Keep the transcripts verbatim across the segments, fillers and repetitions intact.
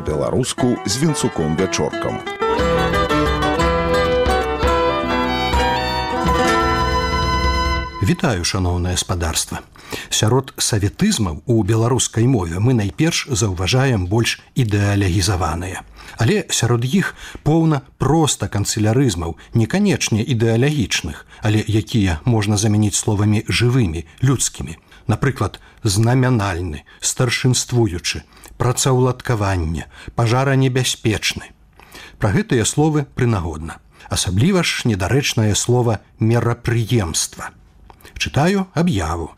па-беларуску з Вінцуком Вячоркам. Вітаю, шаноўнае спадарства. Сярод саветызмаў у беларускай мове мы найперш заўважаем больш ідэалегізаваныя. Але сярод іх поўна проста канцылярызмаў, не канечне ідэалагічных, але якія можна замяніць словамі жывымі, людскімі. Напрыклад, знамянальны, старшынствуючы, працаўладкаванне, пажаранебяспечны. Пра гэтыя словы прынагодна. Асабліва ж недарэчнае слова мерапрыемства. Чытаю аб'яву.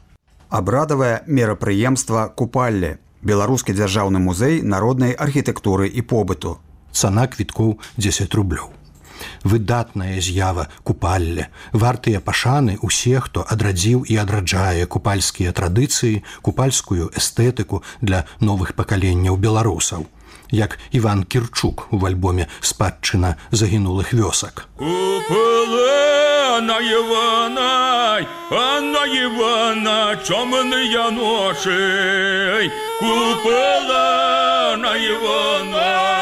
Абрадавае мерапрыемства купалле. Беларускі дзяржаўны музей народнай архітэктуры і побыту. Цана квіткоў дзесяць рублёў. Выдатная з'ява купалле. Вартыя пашаны усе, хто адрадзіў і адраджае купальскія традыцыі, купальскую эстэтыку для новых пакаленняў беларусаў. Як Іван Кірчук у альбоме «Спадчына загінулых вёсак». Купала на Івана, а на Івана чомныя ноші. Купала на Івана.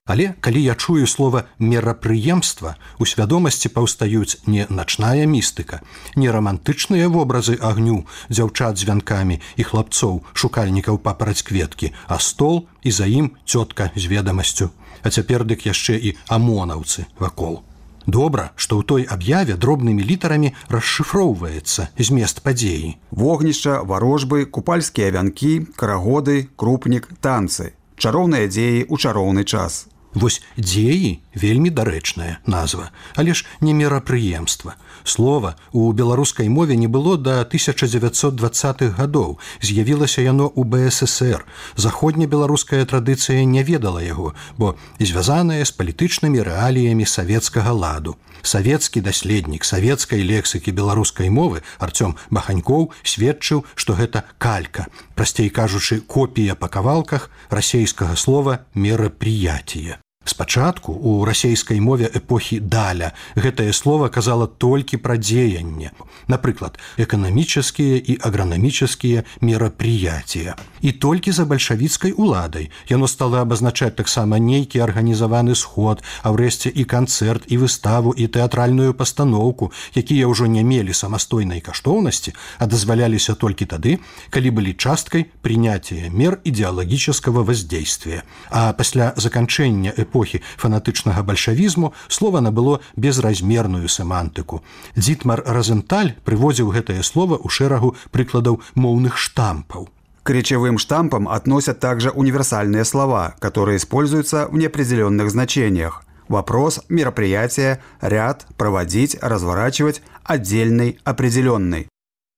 Але калі я чую слова «мерапрыемства», у свядомасці паўстаюць не начная містыка, не рамантычныя вобразы агню, дзяўчат з вянкамі і хлапцоў, шукальнікаў папараць кветкі, а стол і за ім цётка з ведамасцю. А цяпер дык яшчэ і амонаўцы вакол. Добра, што ў той аб'яве дробнымі літарамі расшыфроўваецца змест падзеі. Вогнішча, варожбы, купальскія вянкі, карагоды, крупнік, танцы. Чароўныя дзеі ў чароўны час. Вось дзеі вельмі дарэчная назва, але ж не мерапрыемства. Слова у беларускай мове не было да тысяча дзевяцьсот дваццатых гадоў. З'явілася яно ў бэ эс эсэр. Заходнебеларуская традыцыя не ведала яго, бо звязаная з палітычнымі рэаліямі савецкага ладу. Савецкі даследнік савецкай лексікі беларускай мовы Арцём Баханькоў сведчыў, што гэта калька, прасцей кажучы, копія па кавалках расейскага слова «мерапрыятие». Спачатку у расейскай мове эпохі даля гэтае слово казала толькі пра дзеянне. Напрыклад, эканамічныя і агранамічныя мерапрыятия. І толькі за бальшавіцкай уладай яно стала абазначаць таксама нейкі арганізаваны сход, а ўрэшце і канцэрт, і выставу, і тэатральную пастаноўку, якія ўжо не мелі самастойнай каштоўнасці, а дазваляліся толькі тады, калі былі часткай прыняція мер ідэалагічнага воздействия. А пасля заканчэння эпохі фанатычнага бальшавізму слова набыло безразмерную семантыку. Дзітмар Розенталь прыводзіў гэтае слово ў шэрагу прыкладаў моўных штампаў. К речевым штампам относят также универсальные слова, которые используются в неопределенных значениях. Вопрос, мероприятие, ряд, проводить, разворачивать, отдельный, определенный.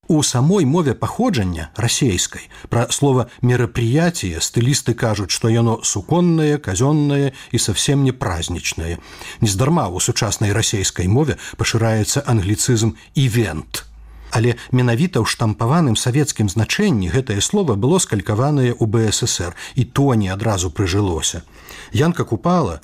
У самой мове паходжання расейскай пра слова «мерапрыятие» стылісты кажуць, што яно суконнае, казённае і совсем не празднічнае. Нездарма у сучаснай расейскай мове пашыраецца англіцызм «івент». Але менавіта ў штампаваным савецкім значэнні гэтае слово было скалькаванае ў бэ эс эсэр, і то не адразу прыжылося. Янка Купала,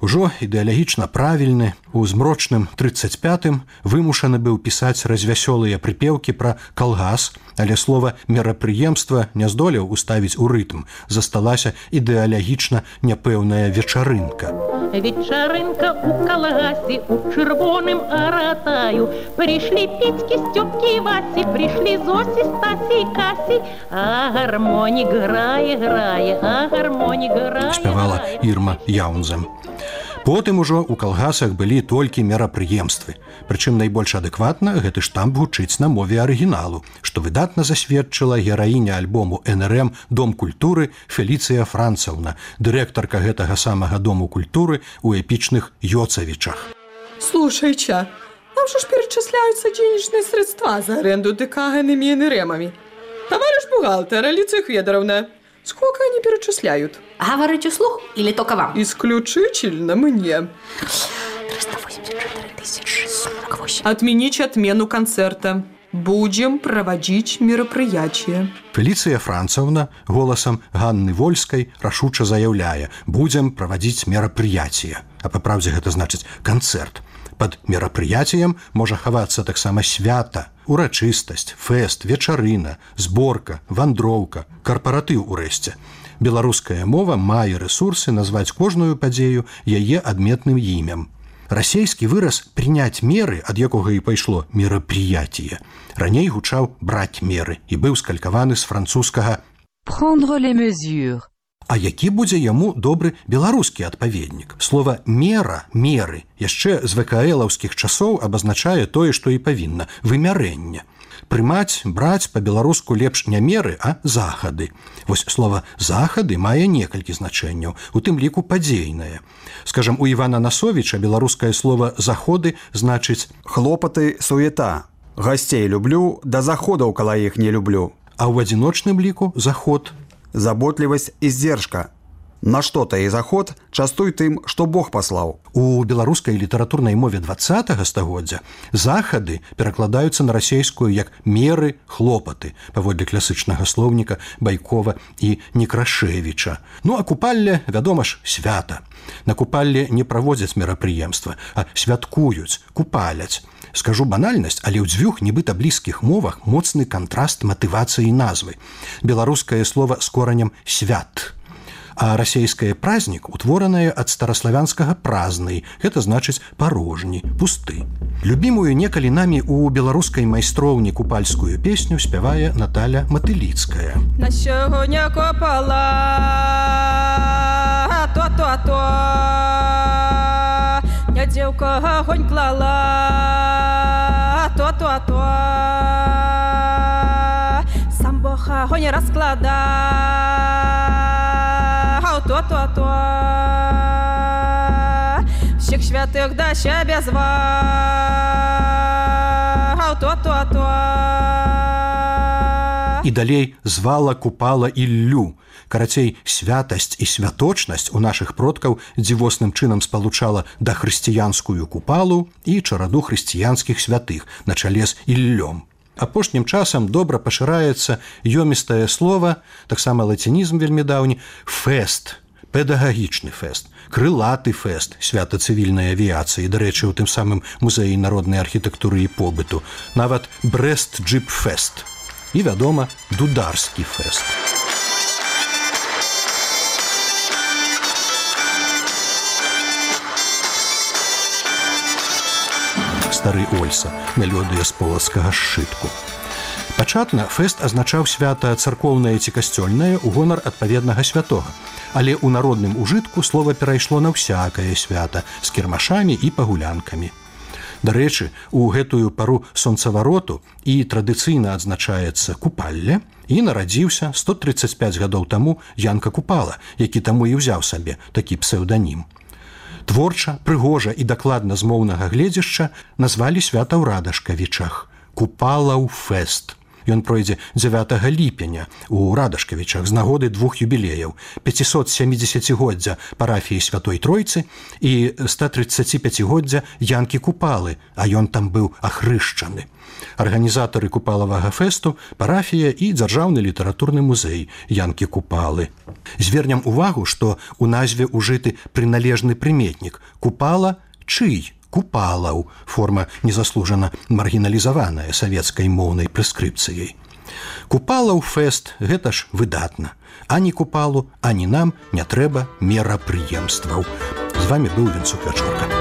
ужо ідэалагічна правільны, у змрочным трыццаць пятым вымушаны быў пісаць развясёлыя прыпеўкі пра калгас, але слова «мерапрыемства» не здолеў уставіць у рытм, засталася ідэалагічна няпэўная вечарынка. Вечарынка у калгасе, у чырвоным аратаю. Прыйшлі Петькі, Стёпкі, Васі, прыйшлі Зосі, Стасі, Касі. А гармонік грае, грае, а гармонік грае, спявала Ірма Яунзем. Потым ужо ў калгасах былі толькі мерапрыемствы. Прычым найбольш адэкватна гэты штамп гучыць на мове арыгіналу, што выдатна засведчыла гераіня альбому эн эр эм «Дом культуры» Феліцыя Францаўна, дырэктарка гэтага самага Дому культуры у эпічных Йоцавічах. Слушай-ча, нам же ж перечисляются денежные средства за аренду ДК иными эн эр эмами. Товарищ бухгалтер, Алиция Федоровна, сколько они перечисляют? Говорите вслух или только вам? Исключительно мне. триста восемьдесят четыре тысячи сорок восемь. Отменить отмену концерта. Будем проводить мерапрыятие. Феліцыя Францаўна голасам Ганны Вольскай рашуча заяўляе: будзем правадзіць мерапрыятие. А па праўдзе гэта значыць канцэрт. Пад мерапрыяцыем можа хавацца таксама свята, урачыстасць, фэст, вечарына, зборка, вандроўка, карпаратыў урэшце. Беларуская мова мае рэсурсы назваць кожную падзею яе адметным імем. Расейскі выраз «прыняць меры», ад якога і пайшло мерапрыяцие, раней гучаў «браць меры» і быў скалькаваны з французскага «prendre les mesures». А які будзе яму добры беларускі адпаведнік? Слова «мера», «меры» яшчэ з вКлаўскіх часоў абазначае тое, што і павінна – вымярэнне. Прымаць, браць па-беларуску лепш не меры, а захады. Вось слова «захады» мае некалькі значэнняў, у тым ліку падзейнае. Скажам, у Івана Насовіча беларускае слова «заходы» значыць «хлопаты, суета». Гасцей люблю, да заходаў кала іх не люблю. А ў адзіночным ліку заход. Заботливость и сдержка. На что-то и заход частуй тым, што Бог паслаў. У беларускай літаратурнай мове двадцатага стагоддзя захады перакладаюцца на расейскую як меры, хлопаты, паводле класычнага слоўніка Байкова і Некрашевіча. Ну а купалле, вядома ж, свята. На купалле не праводзяць мерапрыемства, а святкуюць, купаляць. Скажу банальнасць, але ў дзвюх нібыта блізкіх мовах моцны кантраст матывацыі назвы. Беларускае слова з коранем «свят», а расейскае празднік утворанае ад стараславянскага празны, гэта значыць парожні, пусты. Любімую некалі намі ў беларускай майстроўні купальскую песню спявае Наталя Матыліцкая. На сёння копала то-то-то, не дзеўка агонь клала то-то-то, сам Бог агонь раскладаў то-то-то, всіх святых да сябе зваў то-то-то. І далей звала, купала Іллю. Карацей, святасць і святочнасць у нашых продкаў дзівосным чынам спалучала дахрысціянскую купалу і чараду хрысціянскіх святых на чале з Іллём. Апошнім часам добра пашыраецца ёмістае слова, таксама лацінізм вельмі даўні, фэст, педагагічны фэст, крылаты фэст, свята цывільнай авіяцыі, дарэчы, у тым самым музеі народнай архітэктуры і побыту, нават Брэст-джып-фэст і, вядома, дударскі фэст. Стары Ольса, мелодыя з полацкага сшытку. Пачатна фэст азначаў свята царкоўнае ці касцёльнае ў гонар адпаведнага святога, але ў народным ужытку слова перайшло на ўсякае свята з кірмашамі і пагулянкамі. Дарэчы, у гэтую пару сонцавароту і традыцыйна адзначаецца купалле, і нарадзіўся сто трыццаць пяць гадоў таму Янка Купала, які таму і ўзяў сабе такі псеўданім. Творча, прыгожа і дакладна з моўнага гледзяшча назвалі свята ў Радашкавічах – Купалаў фэст. Ён пройдзе дзевятага ліпеня у Радашкавічах з нагоды двух юбілеяў – пяцісотсямідзесяцігоддзя парафіі Святой Тройцы і ста-трыццаціпяцігоддзя Янкі Купалы, а ён там быў ахрышчаны. Арганізатары купалавага фэсту – парафія і дзяржаўны літаратурны музей Янкі Купалы. Звернем увагу, што у назве ўжыты прыналежны прыметнік «Купала» чый? Купалаў, форма незаслужана маргіналізаваная савецкай моўнай прэскрыпцыяй. Купалаў фэст – гэта ж выдатна. Ані Купалу, ані нам не трэба мерапрыемстваў. З вамі быў Вінцук Вячорка.